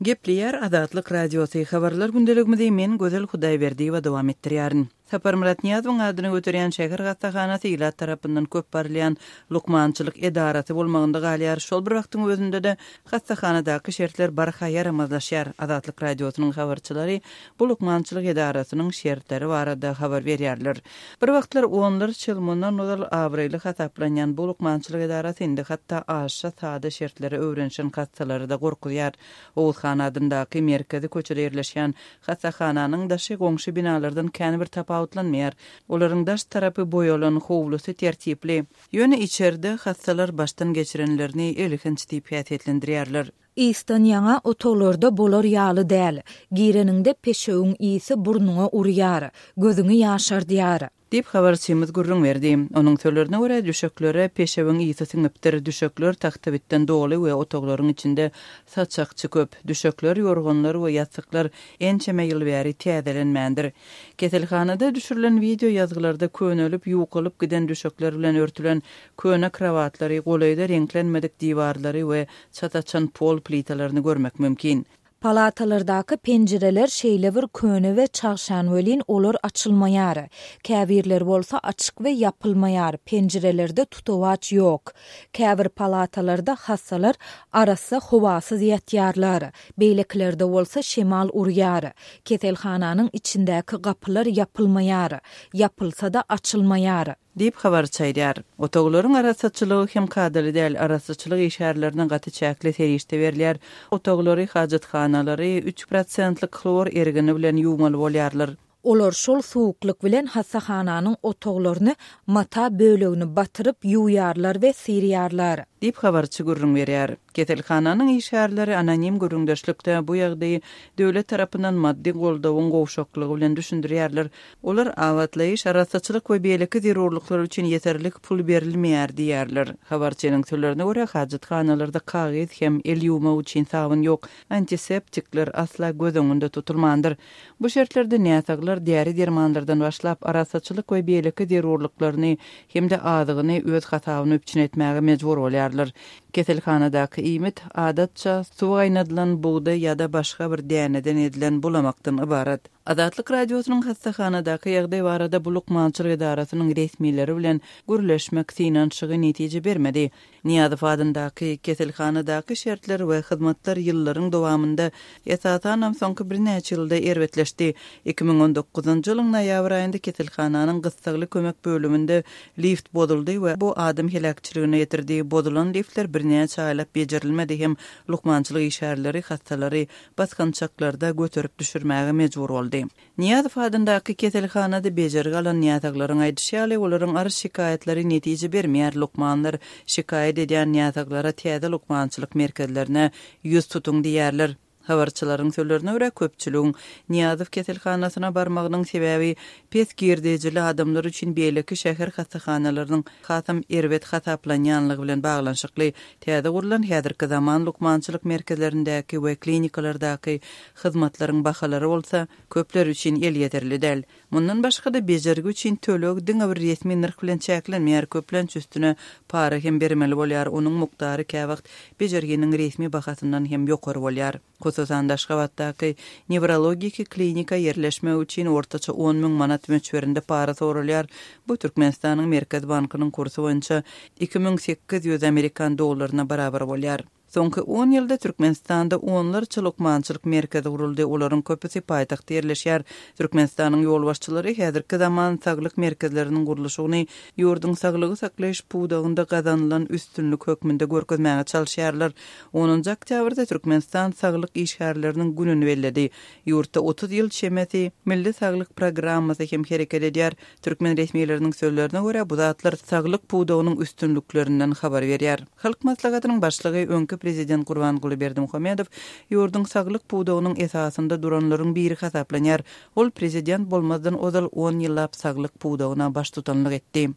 Gepleýär Azatlyk Radiosy, Habarlar gündeligimizi men Gözel Hudaýberdiýewa dowam etdirýärin. Saparmyrat Nyýazowyň adyny göterýän şäher hassahanasy ilat tarapyndan köp barylýan lukmançylyk edarasy bolmagynda galýar. Şol bir wagtyň özünde-de hassahanadaky şertler barha ýaramazlaşýar. Azatlyk Radiosynyň habarçylary bu lukmançylyk edarasynyň şertleri barada habar berýärler. Bir wagtlar onlarça ýyl mundan ozal abraýly hasaplanýan bu lukmançylyk edarasy indi hatda aşa sada şertlere öwrenişen hassalary-da gorkuzýar. Oguz han adyndaky merkezi köçede ýerleşýän hassahananyň daşy goňşy binalardan kän bir tapawutlanmaýar. Olaryň daş tarapy boýalan, howlusy tertipli. Ýöne içerde hassalar başdan geçirenlerini elhenç diýip häsiýetlendirýärler. Ysdan ýaňa otaglarda bolar ýaly däl. Gireniňde peşewiň ysy burnuňa urýar, gözüňi ýaşardýar. Diýip, habarçymyz gürrüň berdi. Onuň sözlerine görä, düşeklere peşewiň ysy siňipdir, düşekler tagtabitden doly we otaglaryň içinde saçakçy köp. Düşekler, ýorganlar we ýassyklar ençeme ýyl bäri täzelenmändir. Keselhanada düşürilen wideo ýazgylarda könelip, ýukalyp giden düşekler bilen örtülen köne krowatlary, golaýda reňklenmedik diwarlary we çat açan pol plitalaryny görmek mümkin. Palatalardaky penjireler şeýle bir köne we çagşan welin olar açylmaýar. Käbirleri bolsa açyk we ýapylmaýar, penjirelerde tutawaç ýok. Käbir palatalarda hassalar arassa howasyz ýatýarlar, beýlekilerde bolsa şemal urýar. Keselhananyň içindäki gapylar ýapylmaýar, ýapylsa-da açylmaýar. Diýip, habarçy aýdýar. Otaglaryň arassaçylygy hem kadaly däl, arassaçylyk işgärlerine gaty çäkli serişde berilýär. Otaglary, hajathanalary üç prosentlik hlor ergini bilen ýuwmaly bolýarlar. Olar şol suwuklyk bilen hassahananyň otaglaryny mata bölegini batyryp ýuwýarlar we syrýarlar. Diýip, habarçy gürrüň berýär. Keselhananyň işgärleri anonim gürrüňdeşlikde bu ýagdaýy döwlet tarapyndan maddy goldawyň gowşaklygy bilen düşündirýärler. Olar abatlaýyş, arassaçylyk we beýleki zerurlyklar üçin ýeterlik pul berilmeýär diýýärler. Habarçynyň sözlerine görä, hajathanalarda kagyz hem el ýuwmak üçin sabyn ýok, antiseptikler asla göz öňünde tutulmandyr. Bu şertlerde näsaglar däri-dermanlardan başlap, arassaçylyk we beýleki zerurlyklaryny hem-de azygyny öz hasabyna üpjün etmäge mejbur bolýarlar. Keselhanadaky iýmit, adatça, suwa gaýnadylan bugdaý ýa-da başga bir däneden edilen bulamakdan ybarat. Azatlyk Radiosynyň hassahanadaky ýagdaý barada bu lukmançylyk edarasynyň resmileri bilen gürleşmek synanyşygy netije bermedi. Nyýazow adyndaky keselhanadaky şertler we hyzmatlar ýyllaryň dowamynda, esasanam soňky birnäçe ýylda erbetleşdi. 2019-njy ýylyň noýabr aýynda keselhananyň gyssagly kömek bölüminde lift bozuldy we bu adam heläkçiligine getirdi. Bozulan liftler birnäçe aýlap bejerilmedi hem lukmançylyk işgärleri hassalary basgançaklarda göterip düşürmäge mejbur boldy. Nyýazow adyndaky keselhanada bejergi alan näsaglaryň aýdyşy ýaly, olaryň arz-şikaýatlary netije bermeýär, lukmanlar şikaýat edýän näsaglara täze lukmançylyk merkezlerine ýüz tutuň diýýärler. Habarçylaryň sözlerine görä, köpçüligiň Nyýazow keselhanasyna barmagynyň sebäbi pes girdejili adamlar üçin beýleki şäher hassahanalarynyň hasam erbet hasaplanýanlygy bilen baglanyşykly. Täze gurlan häzirki zaman lukmançylyk merkezlerindäki we klinikalardaky hyzmatlaryň bahalary bolsa, köpler üçin elýeterli däl. Mundan başga-da, bejergi üçin töleg diňe bir resmi nyrh bilen çäklenmeýär, köplenç üstüne para hem bermeli bolýar, onuň mukdary käwagt bejerginiň resmi bahasyndan hem ýokary bolýar. Hususan-da, Aşgabatdaky newrologiki klinika ýerleşmek üçin ortaça 10 müň manat möçberinde para soralýar, bu Türkmenistanyň Merkezi bankynyň kursy boýunça 2800 amerikan dollaryna barabar bolýar. Soňky on ýylda Türkmenistanda onlarça lukmançylyk merkezi guruldy, olaryň köpüsi paýtagtda ýerleşýär. Türkmenistanyň ýolbaşçylary häzirki zaman saglyk merkezleriniň gurluşygyny ýurduň saglygy saklaýyş pudagynda gazanylan üstünlik hökmünde görkezmäge çalyşýarlar. Onunjy oktýabrda Türkmenistan saglyk işgärleriniň gününi belledi. Ýurtda 30 ýyl çemesi Milli saglyk programmasy hem hereket edýär. Türkmen resmileriniň sözlerine görä, bu zatlar saglyk pudagynyň üstünliklerinden habar berýär. Halk Maslahatynyň Başlygy, öňki Prezident Gurbanguly Berdimuhamedow ýurduň saglyk pudagynyň esasynda duranlaryň biri hasaplanýar. Ol prezident bolmazdan ozal on ýyllap saglyk pudagyna baştutanlyk etdi.